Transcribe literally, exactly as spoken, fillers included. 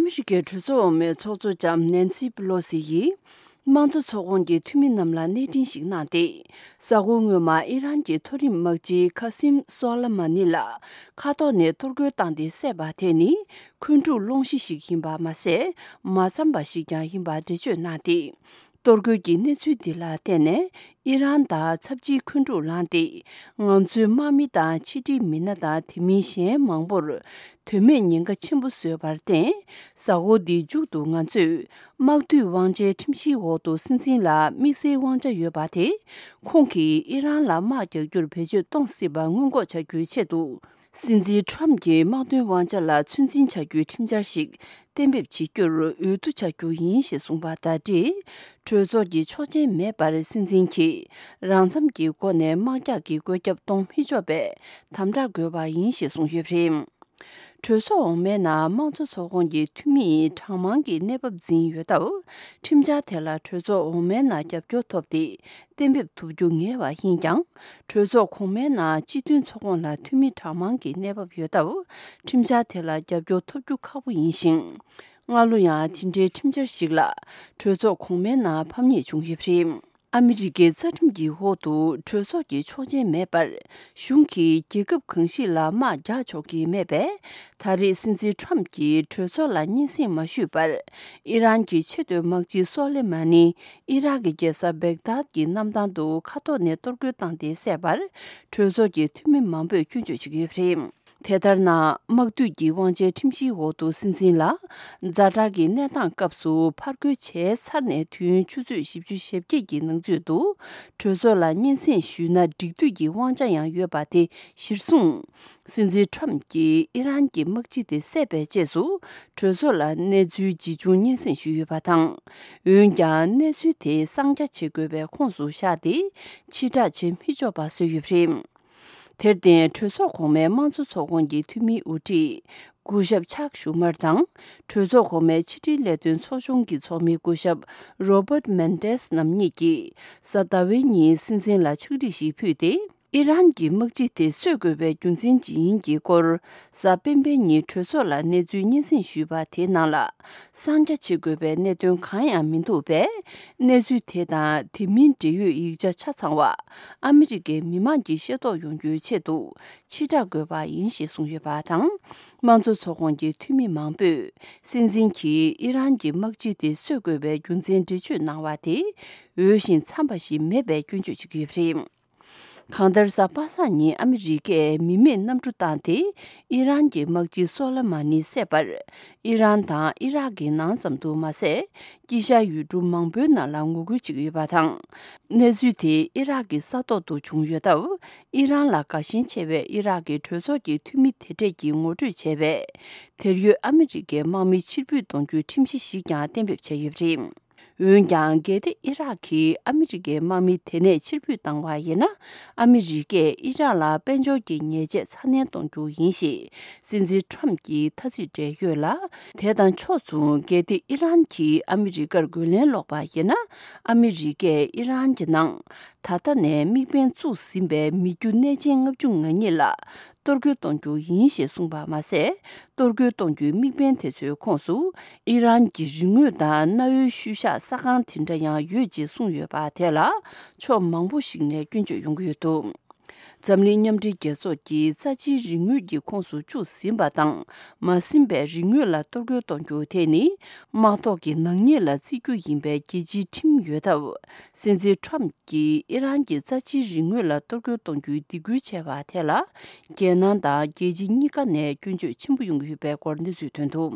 ཨ་མི་རི་ཀའི་གྲོས་ཚོགས་འོག་མའི་ཚོགས་གཙོ་ལྕམ་ནན་སི་པི་ལོ་སི་ཡིས། དམངས་གཙོ་ཚོགས་ཁོངས་ཀྱི་འཐུས་མི་རྣམས་ལ་གནས་འཕྲིན་ཞིག་གནང་སྟེ། གཟའ་འཁོར་སྔོན་མ་ཨི་རན་གྱི་མཐོ་རིམ་དམག་སྤྱི་ཁ་སིམ་སོ་ལ་མ་ནི་ལ་མཁའ་ཐོག་ནས་གཏོར་རྒོལ་བཏང་སྟེ་བསད་པ་དེ་ནི། འཁོན་འཁྲུག་སློང་གཞི་ཞིག་ཡིན་པ་མ་ཟད། མ་འཚམས་པ་ཞིག་ཀྱང་ཡིན་པ་འགྲེལ་བརྗོད་གནང་སྟེ། གཏོར་རྒོལ་གྱི་གནས་ཚུལ་འདི་ལ་བརྟེན་ནས། ཨི་རན་དང་ཚབས་ཆེའི་འཁོན་འཁྲུག་ལངས་ཏེ། ང་ཚོའི་དམག་མི་དང་ཕྱི་འབྲེལ་མི་སྣ་དང་དེ་མིན་གཞན་མང་པོར། དོན་མེད་ཉེན་ཁ་ཆེན་པོ་བཟོས་པར་བརྟེན། གཟའ་འཁོར་འདིའི་མཇུག་ཏུ་ང་ཚོས། དམག་འཐུས་དབང་ཆའི་ཁྲིམས་གཞིའི་འོག་ཏུ་སྲིད་འཛིན་ལ་དམིགས་བསལ་དབང་ཆ་ཡོད་པ་དེ། ཁོང་གིས་ཨི་རན་ལ་དམག་རྒྱག་རྒྱུར་བེད་སྤྱོད་གཏོང་སྲིད་པ་སྔོན་འགོག་བྱ་རྒྱུའི་ཆེད་དུ། སྲིད་འཛིན་ཁྲོམ་གྱི་དམག་དོན་དབང་ཆ་ལ་ཚོད་འཛིན་བྱ་རྒྱུའི་ཁྲིམས་འཆར་ཞིག་གཏན་འབེབས་བྱེད་རྒྱུར་འོས་བསྡུ་བྱ་རྒྱུ་ཡིན་ཞེས་གསུངས་པ་དང་འབྲེལ། གྲོས་ཚོགས་ཀྱི་ཆོག་མཆན་མེད་པར་སྲིད་འཛིན་གྱིས་རང་འཚམ་གྱི་སྒོ་ནས་དམག་རྒྱག་གི་བཀོད་ཁྱབ་གཏོང་མི་ཆོག་པའི་དམ་དྲག་དགོས་པ་ཡིན་ཞེས་གསུངས་ཡོད་པ་རེད། གྲོས་ཚོགས་འོག་མའི་ནང་དམངས་གཙོ་ཚོགས་ཁོངས་ཀྱི་འཐུས་མིའི་གྲངས་མང་གི་གནས་བབ་འཛིན་ཡོད་སྟབས། ཁྲིམས་འཆར་དེ་ལ་གྲོས་ཚོགས་འོག་མའི་ནང་རྒྱབ་སྐྱོར་ཐོབ་སྟེ། གཏན་འབེབས་ཐུབ་རྒྱུ་ངེས་པ་ཡིན་ཀྱང་། གྲོས་ཚོགས་གོང་མའི་ནང་སྤྱི་མཐུན་ཚོགས་ཁོངས་ལ་འཐུས་མི་གྲངས་མང་གི་གནས་བབ་ཡོད་སྟབས། ཁྲིམས་འཆར་དེ་ལ་རྒྱབ་སྐྱོར་ཐོབ་རྒྱུ་ཁག་པོ་ཡིན་ཞིང་། སྔ་ལོ་ཡང་དེ་འདྲའི་ཁྲིམས་འཆར་ཞིག་ལ་གྲོས་ཚོགས་གོང་མའི་ནང་ཕམ་ཉེས་བྱུང་ཡོད་པ་རེད། ཨ་མི་རི་ཀའི་རྩ་ཁྲིམས་ཀྱི་འོག་ཏུ་གྲོས་ཚོགས་ཀྱི་ཆོག་མཆན་མེད་པར། གཞུང་གིས་རྒྱལ་ཁབ་གང་ཞིག་ལ་དམག་རྒྱག་ཆོག་གི་མེད་པས། ད་རེས་སྲིད་འཛིན་ཁྲོམ་གྱིས་གྲོས་ཚོགས་ལ་སྙན་སེང་མ་ཞུས་པར། ཨི་རན་གྱི་ཆེས་མཐོའི་དམག་སྤྱི་སོ་ལེ་མ་ནི། ཨི་རག་གི་རྒྱལ་ས་བེག་དཱད་ཀྱི་གནམ་ཐང་དུ་མཁའ་ཐོག་ནས་གཏོར་རྒོལ་བཏང་སྟེ་བསད་པར། གྲོས་ཚོགས་ཀྱི་འཐུས་མི་མང་པོས་སྐྱོན་བརྗོད་བྱེད་ཀྱི་ཡོད་པ་རེད། དེ་ལྟར་ན། དམག་འཐུས་ཀྱི་དབང་ཆའི་ཁྲིམས་གཞིའི་འོག་ཏུ་སྲིད་འཛིན་ལ། ཛ་དྲག་གི་གནས་སྟངས་སྐབས་སུ་ཕར་རྒོལ་བྱས་ཚར་ནས་དུས་ཡུན་ཆུ་ཚོད་བཞི་བཅུ་ཞེ་བརྒྱད་ཀྱི་ནང་ཚུད་དུ། གྲོས་ཚོགས་ལ་སྙན་སེང་ཞུས་ན་འགྲིག་འདོད་ཀྱི་དབང་ཆ་ཡང་ཡོད་པ་དེ་གཞིར་བཟུང་། སྲིད་འཛིན་ཁྲོམ་གྱིས་ཨི་རན་གྱི་དམག་སྤྱི་དེ་བསད་པའི་རྗེས་སུ། གྲོས་ཚོགས་ལ་གནས་ཚུལ་ཇི་བྱུང་སྙན་སེང་ཞུས་ཡོད་པ་དང་། འོན་ཀྱང་གནས་ཚུལ་དེ་གསང་རྒྱ་བྱེད་དགོས་པའི་ཁོངས་སུ་བཞག་སྟེ། ཕྱིར་བསྒྲགས་བྱེད་མི་ཆོག་པ་བཟོས་ཡོད་པ་རེད། དེར་བརྟེན། གྲོས་ཚོགས་གོང་མའི་དམངས་གཙོ་ཚོགས་ཁོངས་ཀྱི་འཐུས་མིའི་དབུ་ཁྲིད། སྐུ་ཞབས་ཆག་ཞུ་མར་དང་། གྲོས་ཚོགས་གོང་མའི་ཕྱི་དྲིལ་ལས་དོན་ཚོགས་ཆུང་གི་ཚོགས་མི་སྐུ་ཞབས་རོ་བརྟ་མན་ཏེས་རྣམ་གཉིས་ཀྱིས། གཟའ་ཟླ་བའི་ཉིན་སྲིད་འཛིན་ལ་ཕྱག་བྲིས་ཤིག་ཕུལ་ཏེ། ཨི་རན་གྱི་དམག་སྤྱི་དེ་གསོད་དགོས་པའི་རྒྱུ་མཚན་ཇི་ཡིན་གྱི་སྐོར། གཟའ་སྤེན་པའི་ཉིན་གྲོས་ཚོགས་ལ་གནས་ཚུལ་སྙན་སེང་ཞུས་པ་དེའི་ནང་ལ། གསང་རྒྱ་བྱེད་དགོས་པའི་གནད་དོན་གང་ཡང་མི་འདུག་པས། གནས་ཚུལ་དེ་དང་དེ་མིན་འབྲེལ་ཡོད་ཡིག་ཆ་ཆ་ཚང་བ། ཨ་མི་རི་ཀའི་མི་མང་གིས་ཤེས་རྟོགས་ཡོང་རྒྱུའི་ཆེད་དུ། ཕྱིར་བསྒྲགས་དགོས་པ་ཡིན་ཞེས་གསུངས་ཡོད་པ་དང་། དམངས་གཙོ་ཚོགས་ཁོངས་ཀྱི་འཐུས་མི་མང་པོས། སྲིད་འཛིན་གྱིས་ཨི་རན་གྱི་དམག་སྤྱི་དེ་གསོད་དགོས་པའི་རྒྱུ་མཚན་འགྲེལ་བརྗོད་གནང་བ་དེ། འོས་ཤིང་འཚམས་པ་ཞིག་མེད་པའི་སྐྱོན་བརྗོད་བྱེད་ཀྱི་ཡོད་པ་རེད། གང་ལྟར། གཟའ་པ་སངས་ཉིན་ཨ་མི་རི་ཀས་མི་མེད་གནམ་གྲུ་བཏང་སྟེ། ཨི་རན་གྱི་དམག་སྤྱི་སོ་ལེ་མ་ནི་བསད་པར། ཨི་རན་དང་ཨི་རག་གི་ནང་ཙམ་དུ་མ་ཟད། དཀྱིལ་ཤར་ཡུལ་གྲུ་མང་པོའི་ནང་ལ་ངོ་རྒོལ་བྱེད་ཀྱི་ཡོད་པ་དང་། གནས་ཚུལ་དེ་ཨི་རག་གི་ས་ཐོག་ཏུ་བྱུང་ཡོད་སྟབས། ཨི་རན་ལ་དགའ་ཞེན་ཆེ་བའི་ཨི་རག་གི་གྲོས་ཚོགས་ཀྱི་འཐུས་མི་དེ་གྲས་ཀྱིས་ངོ་སྤྲོད་བྱས་པས། དེར་ཡོད་ཨ་མི་རི་ཀའི་དམག་མི་ཕྱིར་འབུད་གཏོང་རྒྱུའི་ཁྲིམས་གཞི་ཞིག་ཀྱང་གཏན་འབེབས་བྱས་ཡོད་པ་རེད། འོན་ཀྱང་། གལ་ཏེ་ཨི་རག་གིས་ཨ་མི་རི་ཀའི་དམག་མི་དེ་ནས་ཕྱིར་འབུད་བཏང་བ་ཡིན་ན། ཨ་མི་རི་ཀས་ཨི་རག་ལ་དཔལ་འབྱོར་གྱི་ཉེས་ཆད་ཚ་ནན་གཏོང་རྒྱུ་ཡིན་ཞེས་སྲིད་འཛིན་ཁྲོམ་གྱིས་ཐ་ཚིག་སྤྲད་ཡོད་ལ། དེ་དང་ཕྱོགས་མཚུངས། གལ་ཏེ་ཨི་རན་གྱིས་ཨ་མི་རི་ཀར་རྒོལ་ལན་སློག་པ་ཡིན་ན། ཨ་མི་རི་ཀས་ཨི་རན་གྱི་ནང་ད་ལྟ་ནས་དམིགས་འབེན་བཙུགས་ཟིན་པའི་མི་རྒྱུ་གནས་ཆེན་ལྔ་བཅུ་ང་གཉིས་ལ། གཏོར་རྒོལ་གཏོང་རྒྱུ་ཡིན་ཞེས་གསུངས་པ་མ་ཟད། གཏོར་རྒོལ་གཏོང་རྒྱུའི་དམིགས་འབེན་དེ་ཚོའི་ཁོངས་སུ། ཨི་རན་གྱི་རིག་དངོས་དང་གནའ་བོའི་ཤུལ་བཞག་ས་ཁང་དེ་འདྲ་ཡང་ཡོད་ཅེས་གསུངས་ཡོད་པ་དེ་ལ། ཕྱོགས་མང་པོ་ཞིག་ནས་སྐྱོན་བརྗོད་ཡོང་གི་ཡོད་འདུག་འཛམ་གླིང་མཉམ་འབྲེལ་རྒྱལ་ཚོགས་ཀྱིས་རྩ་ཆེའི་རིག་དངོས་ཀྱི་ཁོངས་སུ་བཅུག་ཟིན་པ་དང་། མ་ཟིན་པའི་རིག་དངོས་ལ་གཏོར་རྒོལ་གཏོང་རྒྱུ་དེ་ནི། དམག་ཐོག་གི་ནག་ཉེས་ལ་བརྩི་རྒྱུ་ཡིན་པའི་རྒྱལ་སྤྱིའི་ཁྲིམས་ཡོད་སྟབས། སྲིད་འཛིན་ཁྲོམ་གྱིས་ཨི་རན་གྱི་རྩ་ཆེའི་རིག་དངོས་ལ་གཏོར་རྒོལ་གཏོང་རྒྱུའི་སྡིགས་སྐུལ་བྱས་པ་དེ་ལ། རྒྱལ་ནང་དང་རྒྱལ་སྤྱི་གཉིས་ཀ་ནས་སྐྱོན་བརྗོད་ཆེན་པོ་ཡོང་གི་ཡོད་པའི་སྐོར་གནས་ཚུལ་ཐོན་འདུག